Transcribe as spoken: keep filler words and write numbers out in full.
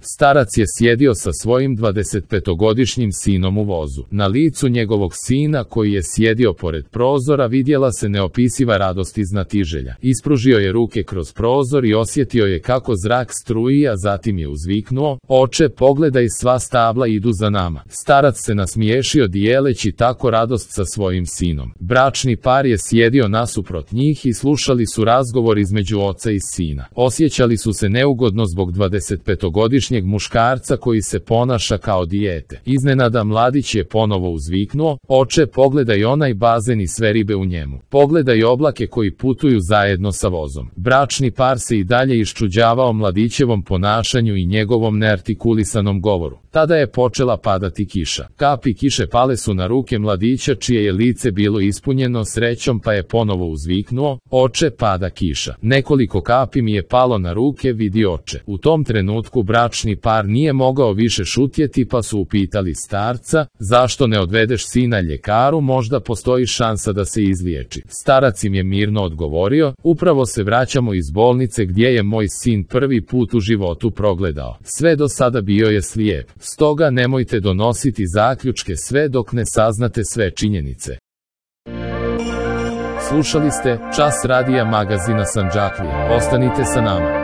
Starac je sjedio sa svojim dvadesetpetogodišnjim sinom u vozu. Na licu njegovog sina koji je sjedio pored prozora vidjela se neopisiva radost i znatiželja. Ispružio je ruke kroz prozor i osjetio je kako zrak struji, a zatim je uzviknuo: "Oče, pogledaj, sva stabla idu za nama." Starac se nasmiješio dijeleći tako radost sa svojim sinom. Bračni par je sjedio nasuprot njih i slušali su razgovor između oca i sina. Osjećali su se neugodno zbog dvadesetpetogodišnjeg muškarca koji se ponaša kao dijete. Iznenada mladić je ponovo uzviknuo: "Oče, pogledaj onaj bazen i sve ribe u njemu. Pogledaj oblake koji putuju zajedno sa vozom." Bračni par se i dalje iščuđavao mladićevom ponašanju i njegovom neartikulisanom govoru. Tada je počela padati kiša. Kapi kiše pale su na ruke mladića čije je lice bilo ispunjeno srećom, pa je ponovo uzviknuo: "Oče, pada kiša." "Nekoliko kapi mi je palo na ruke, vidi oče." U tom trenutku bračni par nije mogao više šutjeti, pa su upitali starca: "Zašto ne odvedeš sina ljekaru, možda postoji šansa da se izliječi?" Starac im je mirno odgovorio: "Upravo se vraćamo iz bolnice gdje je moj sin prvi put u životu progledao. Sve do sada bio je slijep. Stoga nemojte donositi zaključke sve dok ne saznate sve činjenice." Slušali ste Čas radija magazina Sandžaklija. Ostanite sa nama.